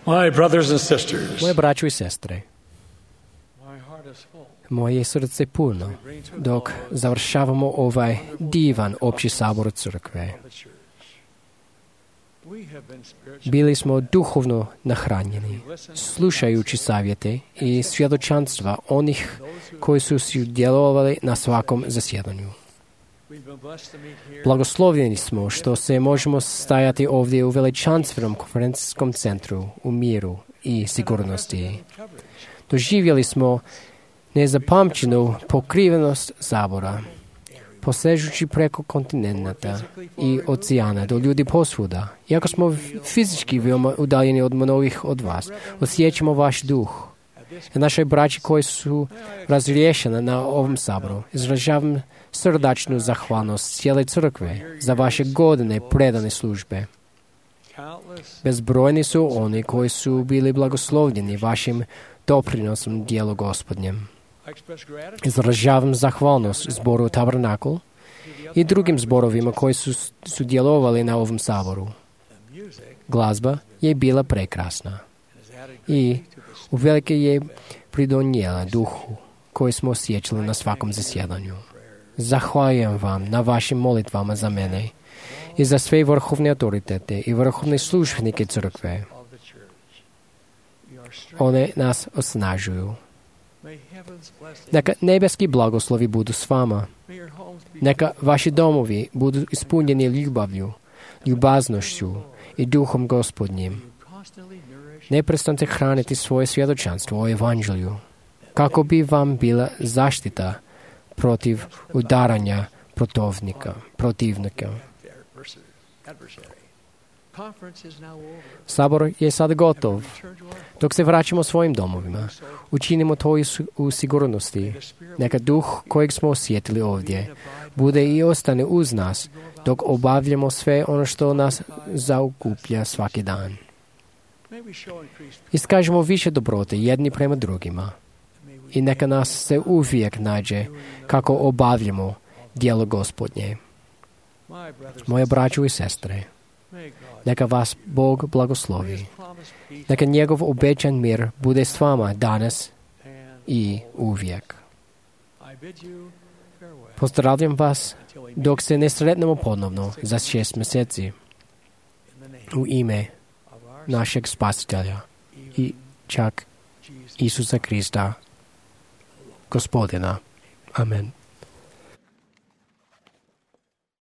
My brothers and sisters, Moje braćo i sestre, my heart is full. moje srce je puno dok završavamo ovaj divan opći sabor crkve. Bili smo duhovno nahranjeni, slušajući savjete i svjedočanstva onih koji su sudjelovali na svakom zasjedanju. Blagoslovljeni smo što se možemo stajati ovdje u veličanstvenom konferencijskom centru u miru i sigurnosti. Doživjeli smo nezapamćenu pokrivenost sabora, posežući preko kontinenta i oceana do ljudi posvuda. Iako smo fizički veoma udaljeni od mnogih od vas, osjećamo vaš duh. I naše braće koji su razriješene na ovom saboru, izražavam srdačnu zahvalnost cijele crkve za vaše godine predane službe. Bezbrojni su oni koji su bili blagoslovljeni vašim doprinosom dijelu Gospodnjem. Izražavam zahvalnost zboru Tabernakl i drugim zborovima koji su sudjelovali na ovom saboru. Glazba je bila prekrasna i uvelike je pridonijela duhu koji smo osjećali na svakom zasjedanju. Zahvaljujem vam na vašim molitvama za mene i za sve vrhovne autoritete i vrhovne službenike crkve. One nas osnažuju. Neka nebeski blagoslovi budu s vama. Neka vaši domovi budu ispunjeni ljubavlju, ljubaznošću i duhom Gospodnjim. Neprestante hraniti svoje svjedočanstvo o evanđelju, kako bi vam bila zaštita protiv udaranja protivnika. Sabor je sad gotov. Dok se vraćamo svojim domovima, učinimo to u sigurnosti. Neka duh kojeg smo osjetili ovdje bude i ostane uz nas dok obavljamo sve ono što nas zaokuplja svaki dan. Iskažemo više dobrote jedni prema drugima i neka nas se uvijek nađe kako obavljamo djelo Gospodnje. Moje braćo i sestre, neka vas Bog blagoslovi. Neka njegov obećan mir bude s vama danas i uvijek. Pozdravljam vas dok se ne sretnemo ponovno za 6 mjeseci u ime našeg Spasitelja i čak Isusa Krista, Gospodina. Amen.